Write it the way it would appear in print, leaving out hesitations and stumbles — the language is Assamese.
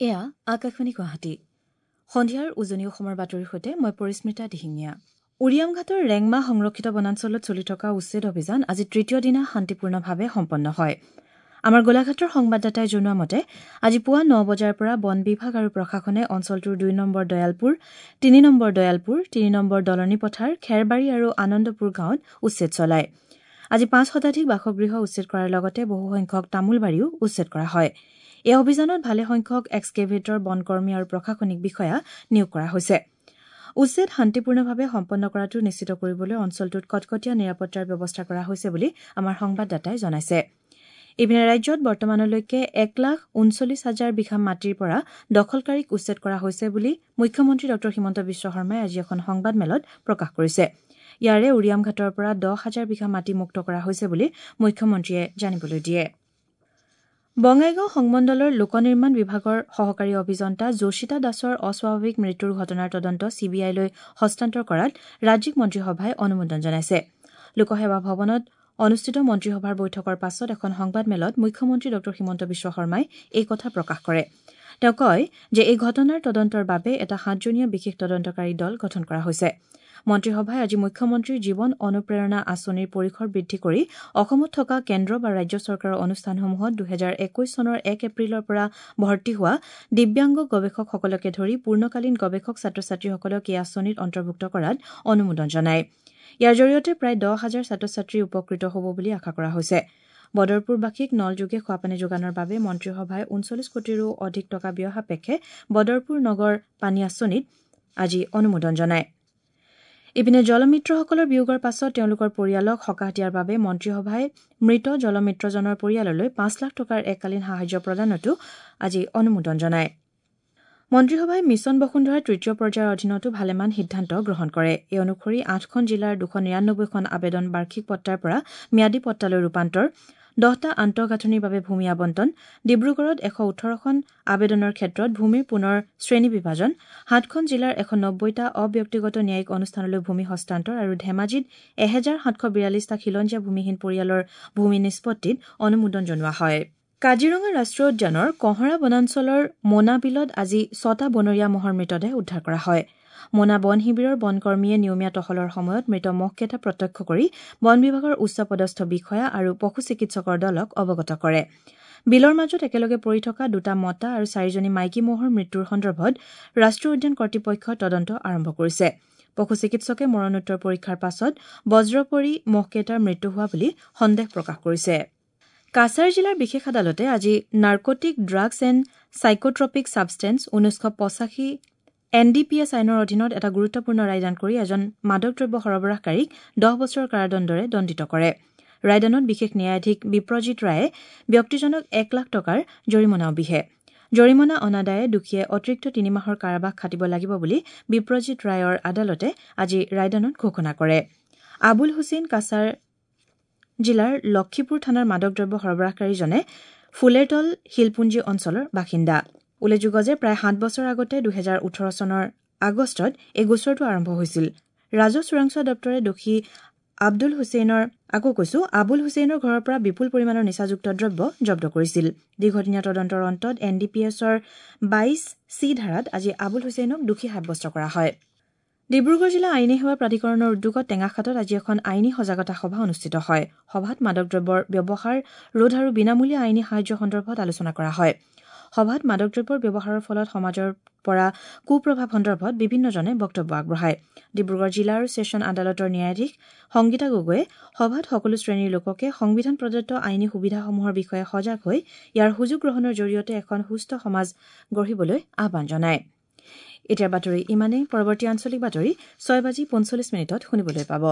এয়া আকাশবাণী গুৱাহাটী। সন্ধিয়াৰ উজনি অসমৰ বাতৰিৰ সৈতে মই পৰিস্মিতা দিহিঙীয়া। উৰিয়ামঘাটৰ ৰেংমা সংৰক্ষিত বনাঞ্চলত চলি থকা উচ্ছেদ অভিযান আজি তৃতীয় দিনা শান্তিপূৰ্ণভাৱে সম্পন্ন হয়। আমাৰ গোলাঘাটৰ সংবাদদাতাই জনোৱা মতে আজি পুৱা ৯ বজাৰ পৰা বন বিভাগ আৰু প্ৰশাসনে অঞ্চলটোৰ ২ number Dayalpur, ৩ number Dayalpur, ৩ number দলনি পথাৰ, খেৰবাৰী আৰু আনন্দপুৰ গাঁৱত উচ্ছেদ চলায়। আজি ৫ শতাধিক বাসগৃহ উচ্ছেদ কৰাৰ লগতে বহুসংখ্যক তামোলবাৰীও উচ্ছেদ কৰা হয়। এই অভিযানত ভালেসংখ্যক এক্সকেভেটৰ, বনকৰ্মী আৰু প্ৰশাসনিক বিষয়া নিয়োগ কৰা হৈছে। উচ্ছেদ শান্তিপূৰ্ণভাৱে সম্পন্ন কৰাটো নিশ্চিত কৰিবলৈ অঞ্চলটোত কটকটীয়া নিৰাপত্তাৰ ব্যৱস্থা কৰা হৈছে বুলি আমাৰ সংবাদদাতাই জনাইছে। ইপিনে ৰাজ্যত বৰ্তমানলৈকে ১,৩৯,০০০ বিঘা মাটিৰ পৰা দখলকাৰীক উচ্ছেদ কৰা হৈছে বুলি মুখ্যমন্ত্ৰী ডঃ হিমন্ত বিশ্ব শৰ্মাই আজি এখন সংবাদমেলত প্ৰকাশ কৰিছে। ইয়াৰে উৰিয়ামঘাটৰ পৰা ১০,০০০ বিঘা মাটি মুক্ত কৰা হৈছে বুলি মুখ্যমন্ত্ৰীয়ে জানিবলৈ দিয়ে। বঙাইগাঁও সংমণ্ডলৰ লোকনিৰ্মাণ বিভাগৰ সহকাৰী অভিযন্তা যোশিতা দাসৰ অস্বাভাৱিক মৃত্যুৰ ঘটনাৰ তদন্ত চি বি আইলৈ হস্তান্তৰ কৰাত ৰাজ্যিক মন্ত্ৰীসভাই অনুমোদন জনাইছে। লোকসেৱা ভৱনত অনুষ্ঠিত মন্ত্ৰীসভাৰ বৈঠকৰ পাছত এখন সংবাদমেলত মুখ্যমন্ত্ৰী ডঃ হিমন্ত বিশ্ব শৰ্মাই এই কথা প্ৰকাশ কৰে। তেওঁ কয় যে এই ঘটনাৰ তদন্তৰ বাবে এটা ৭জনীয়া বিশেষ তদন্তকাৰী দল গঠন কৰা হৈছে। মন্ত্ৰীসভাই আজি মুখ্যমন্ত্ৰীৰ জীৱন অনুপ্ৰেৰণা আঁচনিৰ পৰিসৰ বৃদ্ধি কৰি অসমত থকা কেন্দ্ৰ বা ৰাজ্য চৰকাৰৰ অনুষ্ঠানসমূহত ২০২১ চনৰ ১ এপ্ৰিলৰ পৰা ভৰ্তি হোৱা দিব্যাংগ গৱেষকসকলকে ধৰি পূৰ্ণকালীন গৱেষক ছাত্ৰ ছাত্ৰীসকলক এই আঁচনিত অন্তৰ্ভুক্ত কৰাত অনুমোদন জনায়। ইয়াৰ জৰিয়তে প্ৰায় ১০,০০০ ছাত্ৰ ছাত্ৰী উপকৃত হ'ব বুলি আশা কৰা হৈছে। বদৰপুৰবাসীক নলযোগে খোৱাপানী যোগানৰ বাবে মন্ত্ৰীসভাই ৩৯ কোটিৰো অধিক টকা ব্যয় সাপেক্ষে বদৰপুৰ নগৰ পানী আঁচনিত আজি অনুমোদন জনায়। ইপিনে জলমিত্ৰসকলৰ বিয়োগৰ পাছত তেওঁলোকৰ পৰিয়ালক সকাহ দিয়াৰ বাবে মন্ত্ৰীসভাই মৃত জলমিত্ৰজনৰ পৰিয়াললৈ ৫ লাখ টকাৰ এককালীন সাহায্য প্ৰদানতো আজি অনুমোদন জনায়। মন্ত্ৰীসভাই মিছন বসুন্ধৰাৰ তৃতীয় পৰ্যায়ৰ অধীনতো ভালেমান সিদ্ধান্ত গ্ৰহণ কৰে। এই অনুসৰি ৮খন জিলাৰ ২৯৯খন আবেদন বাৰ্ষিক পট্টাৰ পৰা ম্যাদী পট্টালৈ ৰূপান্তৰ, ১০টা আন্তঃগাঁথনিৰ বাবে ভূমি আবণ্টন, ডিব্ৰুগড়ত ১১৮খন আবেদনৰ ক্ষেত্ৰত ভূমিৰ পুনৰ শ্ৰেণী বিভাজন, ৭খন জিলাৰ ১৯০টা অব্যক্তিগত ন্যায়িক অনুষ্ঠানলৈ ভূমি হস্তান্তৰ আৰু ধেমাজিত ১৭৪২টা খিলঞ্জীয়া ভূমিহীন পৰিয়ালৰ ভূমি নিষ্পত্তিত অনুমোদন জনোৱা হয়। কাজিৰঙা ৰাষ্ট্ৰীয় উদ্যানৰ কঁহৰা বনাঞ্চলৰ মোনা বিলত আজি ৬টা বনৰীয়া মহৰ মৃতদেহ উদ্ধাৰ কৰা হয়। মোনা বন শিবিৰৰ বনকৰ্মীয়ে নিয়মীয়া টহলৰ সময়ত মৃত মহকেইটা প্ৰত্যক্ষ কৰি বন বিভাগৰ উচ্চ পদস্থ বিষয়া আৰু পশু চিকিৎসকৰ দলক অৱগত কৰে। বিলৰ মাজত একেলগে পৰি থকা ২টা মতা আৰু ৪জনী মাইকী মহৰ মৃত্যুৰ সন্দৰ্ভত ৰাষ্ট্ৰীয় উদ্যান কৰ্তৃপক্ষই তদন্ত আৰম্ভ কৰিছে। পশু চিকিৎসকে মৰণোত্তৰ পৰীক্ষাৰ পাছত বজ্ৰ পৰি মহকেইটাৰ মৃত্যু হোৱা বুলি সন্দেহ প্ৰকাশ কৰিছে। কাছাৰ জিলাৰ বিশেষ আদালতে আজি narcotic drugs and psychotropic substance ১৯৮৫ N D P S আইনৰ অধীনত এটা গুৰুত্বপূৰ্ণ ৰায়দান কৰি এজন মাদক দ্ৰব্য সৰবৰাহকাৰীক ১০ বছৰৰ কাৰাদণ্ডৰে দণ্ডিত কৰে। ৰায়দানত বিশেষ ন্যায়াধীশ বিপ্ৰজিত ৰায়ে ব্যক্তিজনক ১ লাখ টকাৰ জৰিমনাও বিহে। জৰিমনা অনাদায়ে দোষীয়ে অতিৰিক্ত ৩ মাহৰ কাৰাবাস খাটিব লাগিব বুলি বিপ্ৰজিত ৰায়ৰ আদালতে আজি ৰায়দানত ঘোষণা কৰে। আবুল হুছেইন কাছাৰ জিলাৰ লক্ষীপুৰ থানাৰ মাদক দ্ৰব্য সৰবৰাহকাৰীজনে ফুলেৰতল শিলপুঞ্জী অঞ্চলৰ বাসিন্দা। উল্লেখযোগ্য যে প্ৰায় ৭ বছৰ আগতে ২০১৮ চনৰ আগষ্টত এই গোচৰটো আৰম্ভ হৈছিল। ৰাজহ চোৰাংচোৱা দপ্তৰে দোষী আবুল হুছেইনৰ ঘৰৰ পৰা বিপুল পৰিমাণৰ নিচাযুক্ত দ্ৰব্য জব্দ কৰিছিল। দীৰ্ঘদিনীয়া তদন্তৰ অন্তত এন ডি পি এছৰ ২২ চি ধাৰাত আজি আবুল হুছেইনক দোষী সাব্যস্ত কৰা হয়। ডিব্ৰুগড় জিলা আইনী সেৱা প্ৰাধিকৰণৰ উদ্যোগত টেঙাখাটত আজি এখন আইনী সজাগতা সভা অনুষ্ঠিত হয়। সভাত মাদক দ্ৰব্যৰ ব্যৱহাৰ ৰোধ আৰু বিনামূলীয়া আইনী সাহায্য সন্দৰ্ভত আলোচনা কৰা হয়। সভাত মাদক দ্ৰব্যৰ ব্যৱহাৰৰ ফলত সমাজৰ পৰা কুপ্ৰভাৱ সন্দৰ্ভত বিভিন্নজনে বক্তব্য আগবঢ়ায়। ডিব্ৰুগড় জিলা আৰু ছেছন আদালতৰ ন্যায়াধীশ সংগীতা গগৈয়ে সভাত সকলো শ্ৰেণীৰ লোককে সংবিধান প্ৰদত্ত আইনী সুবিধাসমূহৰ বিষয়ে সজাগ হৈ ইয়াৰ সুযোগ গ্ৰহণৰ জৰিয়তে এখন সুস্থ সমাজ গঢ়িবলৈ আহ্বান জনায়। এতিয়াৰ বাতৰি ইমানেই। পৰৱৰ্তী আঞ্চলিক বাতৰি ৬:৪৫ শুনিবলৈ পাব।